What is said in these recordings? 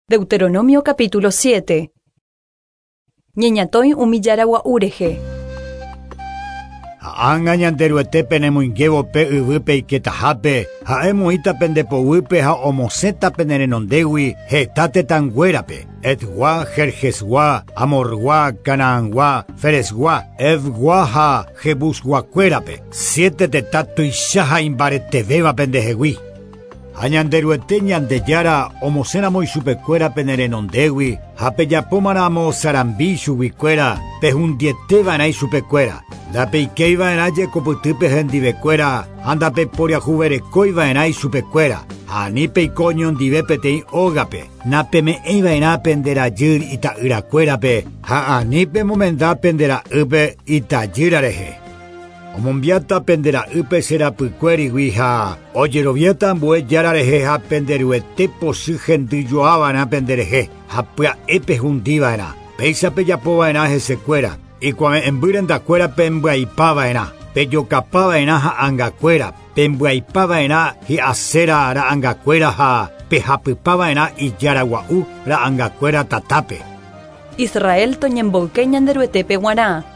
Deuteronomio capítulo 7. Ñeñatõi umi jára gua'u rehe. Ha ág̃a Ñanderuete penemoingévo pe yvy peiketahápe, ha'e omoĩta pende poguýpe ha omosẽta pene renondégui heta tetãnguérape, Hetgua, Gergesgua, Amorgua, Canaangua, Ferezgua, Hevgua ha Jebusguakuérape, siete tetã tuicha ha imbaretevéva pendehegui. Ha Ñanderuete Ñandejára omosẽramo ichupekuéra pene renondégui ha pejapómaramo sarambi ichuguikuéra, pehundieteva'erã ichupekuéra. Ndapeikéiva'erã jekopytýpe hendivekuéra ha ndapeporiahuverekóiva'erã ichupekuéra, ha ani peiko oñondive peteĩ ógape, napeme'ẽiva'erã pende rajy ita'yrakuérape ha ani pemomenda pende ra'ýpe itajýra rehe. Omombiáta pende ra'ýpe che rapykuérigui ha ojeroviáta ambue Jára rehe ha pende Ruete pochy hendyjoava'erã pende rehe ha pya'e pehundiva'erã. Péicha pejapova'erã hesekuéra, ikuave'ẽmby rendakuéra pembyaipava'erã, pejokapava'erã ha'angakuéra, pembyaipava'erã hi'aséra ra'angakuéra ha pehapypava'erã ijára gua'u ra'angakuéra tatápe. Israel toñemboyke Ñanderuetépe g̃uarã.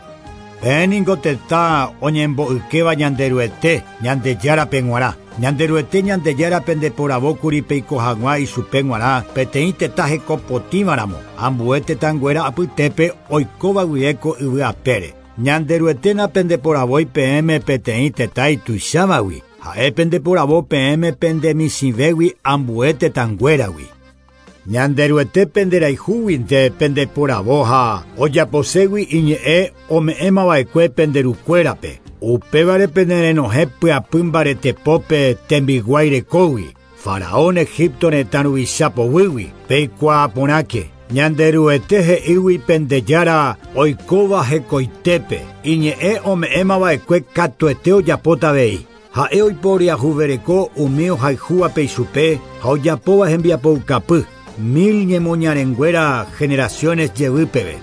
Peẽ ningo tetã oñembo'ykéva Ñanderuete, Ñandejárape g̃uarã. Ñanderuete Ñandejára pendeporavókuri peiko hag̃ua ichupe g̃uarã peteĩ tetã hekopotĩvaramo, ambue tetãnguéra apytépe oikóva guive ko yvy apére. Ñanderuete napendeporavói peẽme peteĩ tetã ituichávagui, ha'e pendeporavo peẽme pendemichĩvégui ambue tetãnguéragui. Ñanderuete penderayhúguinte pendeporavo ha ojaposégui iñe'ẽ ome'ẽmava'ekue pende rukuérape. Upévare penerenohẽ pyapy mbaretepópe tembiguái rekógui, Faraón Egipto retã ruvicha poguýgui. Peikuaa porãke, Ñanderuete he'ígui pende Jára oikóva hekoitépe, iñe'ẽ ome'ẽmava'ekue katuete ojapóta avei. Ha'e oiporiahuvereko umi ohayhúvape ichupe ha ojapóva hembiapoukapy, mil ñemoñarenguéra generaciones jevy peve.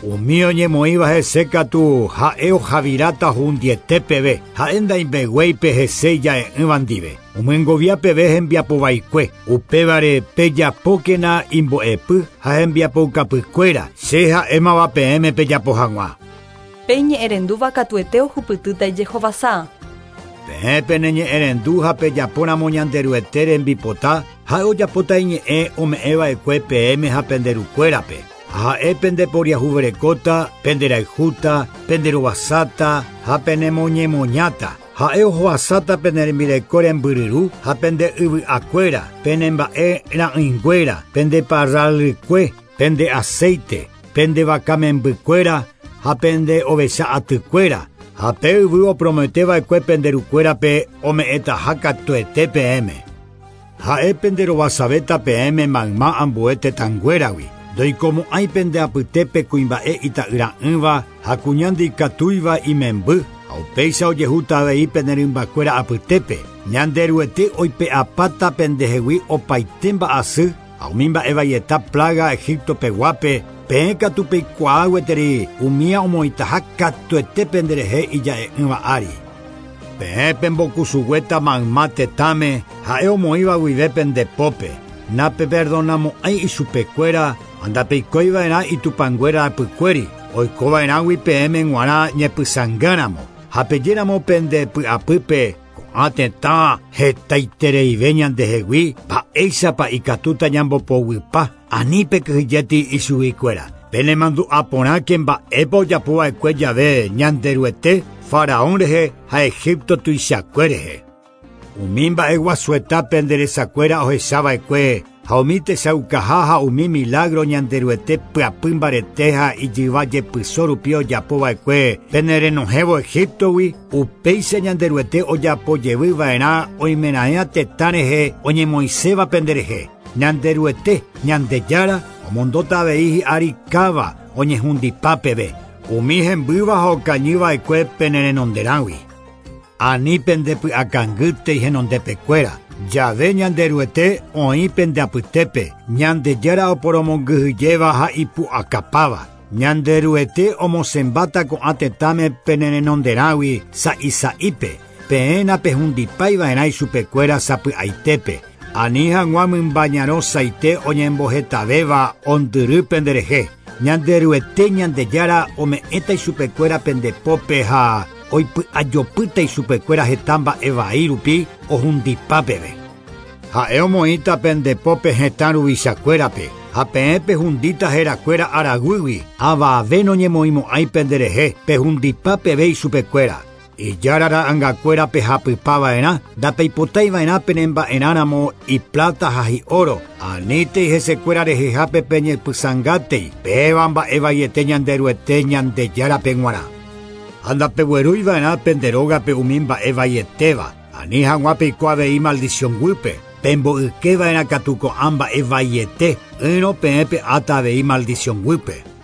Umi oñemoĩva hese katu ha'e ohaviráta hundiete peve, ha'e ndaimbeguéipe hese ija'e'ỹva ndive, omyengovia peve hembiapovaikue. Upévare pejapókena imbo'epy ha hembiapoukapykuéra, che ha'émava peẽme pejapo hag̃ua. Pe iñe'ẽrendúva katuete ohupytýta ijehovasa. Peẽ peneñe'ẽrendu ha pejapóramo Ñanderuete rembipota, ha'e ojapóta iñe'ẽ ome'ẽva'ekue peẽme ha pende rukuérape. Ha ha'e pendeporiahuverekóta, penderayhúta, penderovasáta ha penemoñemoñáta. Ha'e ohovasáta pene rembireko rembyryru ha pende yvy'akuéra, pene mba'e ra'ỹinguéra, pende parral rykue, pende aceite, pende vaka membykuéra ha pende ovecha atykuéra, ha pe yvy oprometeva'ekue pende rukuérape ome'ẽtaha katuete peẽme. Ha'e penderovasavéta peẽme mayma ambue tetãnguéragui, ndoikomo'ãi pende apytépe kuimba'e ita'yra'ỹva ha kuña ndikatúiva imemby, ha upéicha ojehúta avei pene rymbakuéra apytépe. Ñanderuete oipe'apáta pendehegui opaite mba'asy ha umi mba'e vaieta plaga Egipto peguápe, peẽ katu peikuaa gueteri umía omoĩtaha katuete penderehe ija'e'ỹva ári. Peẽ pembokusuguéta mayma tetãme ha'e omoĩva guive pende pópe, napeperdonamo'ãi ichupekuéra ha ndapeikóiva'erã itupãnguéra apykuéri, oikova'erãgui peẽme g̃uarã ñepysãngáramo, ha pejéramo pende py'apýpe ko'ã tetã hetaitereive ñandehegui, mba'éichapa ikatúta ñambopoguypa, ani pekyhyjéti ichuguikuéra. Penemandu'a porãke mba'épa ojapova'ekue jave Ñanderuete, Faraón rehe ha Egipto tuichakue rehe. Umi mba'eguasueta penderesakuéra ohechava'ekue ha umi techaukaha ha umi milagro Ñanderuete pyapy mbarete ha ijyva jepyso rupi ojapova'ekue penerenohẽvo Egiptogui, upéicha Ñanderuete ojapojevyva'erã oimeraẽ tetã rehe oñemoĩséva penderehe. Ñanderuete, Ñandejára, omondóta avei hi'ári káva oñehundipa peve, umi hembýva ha okañyva'ekue penerenonderãgui. Ani pendepy'akangýtei henondepekuéra, jave Ñanderuete oĩ pende apytépe, Ñandejára oporomongyhyjéva ha ipu'akapáva. Ñanderuete omosẽmbáta ko'ã tetãme penerenonderãgui sa'isa'ípe, peẽ napehundipáiva'erã ichupekuéra sapy'aitépe. Ani hag̃ua mymba ñarõ saite oñembohetavéva ondyry penderehe. Ñanderuete Ñandejára ome'ẽta ichupekuéra pende pópe ha oipy'ajopýta ichupekuéra heta mba'e vai rupi ohundipa peve. Ha'e omoĩta pende pópe hetã ruvichakuérape ha peẽ pehundíta herakuéra araguýgui avave noñemoĩmo'ãi penderehe pehundipa peve ichupekuéra. Ijára ra'angakuéra pehapypava'erã ndapeipotaiva'erã penemba'erãramo iplata ha hi'óro anítei hesekuéra rehehápe peñepysãngátei péva mba'e vaiete Ñanderuete Ñandejárape g̃uarã. Ha ndapeguerúiva'erã pende rógape umi mba'e vaietéva ani hag̃ua peiko avei maldición guýpe pemboykeva'erã katu ko'ã mba'e vaiete ỹrõ peẽ pe'áta avei maldición guýpe.